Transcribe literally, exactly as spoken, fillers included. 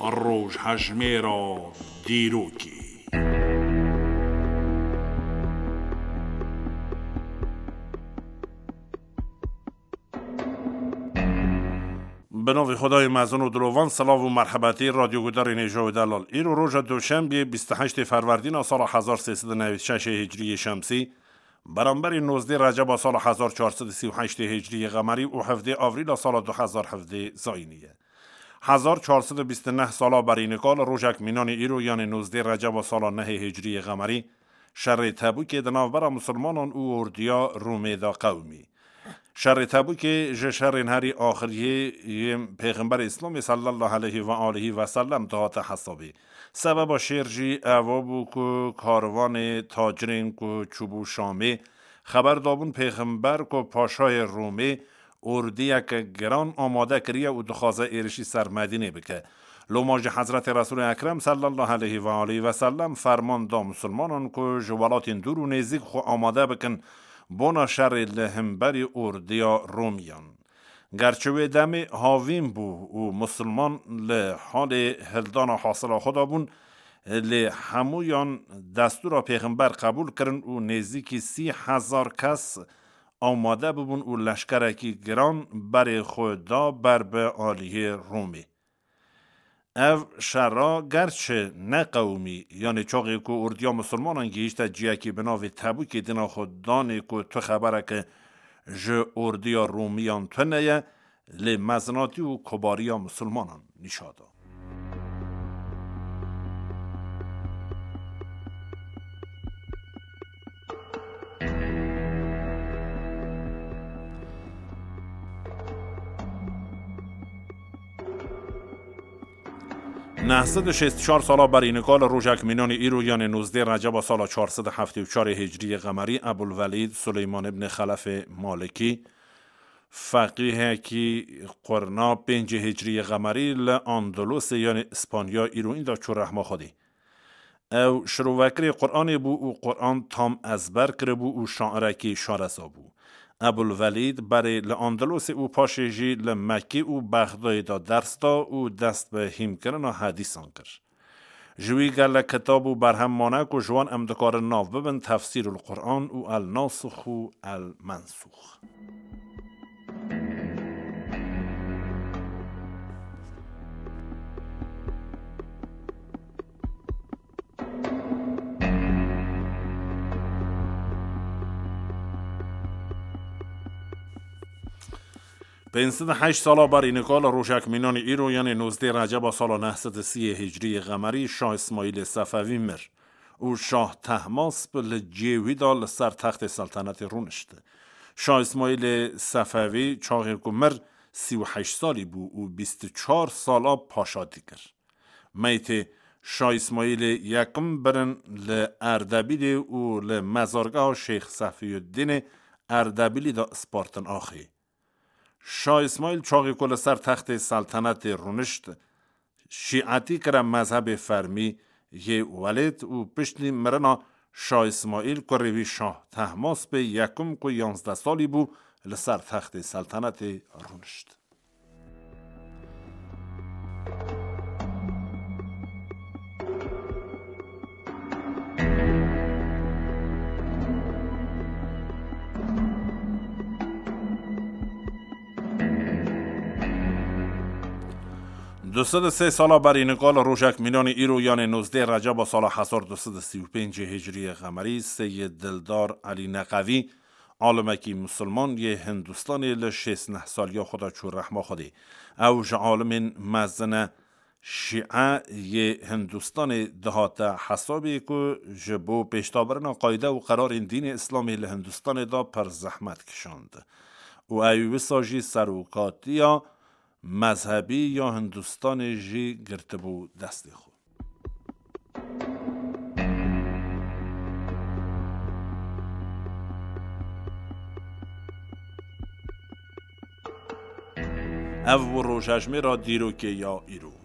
Rojhejmêra dîrokê. Bi navê Xwedayê mezin û dilovan, silav û merhebetî radyogudarên hêja û delal. Îro roja Duşembiyê, bîst û heştê Ferwerdîna sala hezar sê sed û newî şeş Hicriyê Şemsî, beramberî nozdê Receba sala hezar çar sed û sî û heştê Hicriyê Qemerî û hevdê Avrîla sala du hezar hevdê Zayînî ye. Hezar çar sed û bîst û neh sala berî nika li rojek mînanê îro, yanê nozdê Receba sala nehê Hicriyê Qemerî, şerê Tebûkê di navbera Musulmanan û ordiya Rûmê de qewimî. Şerê Tebûkê ji şerên herî axiriyê yên Pêxemberê Îslamê sallallahu aleyhi ve aleyhi ve sellem dihate hesabê. Sebeba şêr jî eva bû ku karvanê tacirên ku çûbû Şamê xeber dabûn Pêxember ku paşayê Rûmê ordiyeke giran amade kiriye û dixwaze êrişî ser Medînê bike. Loma jî Hezretê Resûlê Ekrem sallallahu aleyhi ve aleyhi ve sellem ferman da Musulmanan ku ji welatên dûr û nêzîk xwe amade bikin bona şerê li hemberî ordiya Romiyan. Gerçi wê demê havîn bû û Musulman li halê hildana hasila xwe de bûn, lê hemûyan destûra Pêxember qebûl kirin û nêzîkî sî hezar kes amade bibûn û leşkerekî giran berê xwe da ber bi aliyê Romê. Ev şera gerçi neqewimî, yanê çaxê ku ordiya Musulmanan gihîşte ciyekî bi navê Tebûkê dina xwe danê ku tu xebereke ji ordiya Romiyan tune ye, lê mezinatî û kobariya Musulmanan nîşa da. Neh sed û şêst û çar sala berî nika li rojek mînanî îro, yanê nozdê Receba sala çar sed û heftê û çarê Hicriyê Qemerî, Ebul Velîd Suleyman ibn Xelefê Malikî, feqîhekî qurna pêncê Hicriyê Qemerî li Andalusê, yanê Îspanya îro, înda çû rehma Xwedê. Ew şirovekirê Quranê bû û Quran tam ezber kiribû û şairekî şareza bû. Ebul Velîd berê li Andalusê û paşê jî li Mekkê û Bexdayê de ders da û dest bi hîmkirina hedîsan kir. Ji wî gelek kitab û berhem mane ku ji wan em dikarin nav bibin Tefsîrul Quran û El Nasix û El Mensûx. Pênc sed û heşt sala berî nika li rojek mînanî îro, yanê nozdê Receba sala neh sed û sî Hicriyê Qemerî, Şah Îsmaîlê Sefewî mir û Şah Tehmasp li cihê wî de li ser textê seltenetê rûnişt. Şah Îsmaîlê Sefewî çaxê ku mir sî û heşt salî bû û bîst û çar sala paşatî kir. Meytê Şah Îsmaîlê Yekim birin li Erdebîlê û li mezargeha Şêx Sefiyuddînê Erdebîlî de spartin axê. Şah Îsmaîl çaxê ku li ser textê seltenetê rûnişt, şîetî kire mezhebê fermî yê welêt û piştî mirina Şah Îsmaîl kurê wî Şah Tehmaspê Yekim ku yanzdeh salî bû, li ser textê seltenetê rûnişt. Du sed û sê sala berî nika li rojek mînanî îro, yanê nozdeh Receba sala hezar du sed û sî û pêncê Hicriyê Qemerî, Seyyid Dildar Elî Neqevî, alimekî misilman yê Hindistanê, li şêst neh saliya xwe de çû rehma Xwedê. Ew ji alimên mezin e Şîe yê Hindistanê dihate hesabê ku ji bo pêşdabirina qayde û qerarên dînê Îslamê li Hindistanê de pir zehmet kişand û ew wisa jî serokatiya mezhebî ya Hindistanê jî girtibû destê xwe. Ev bû rojejmêra dîrokê ya îro.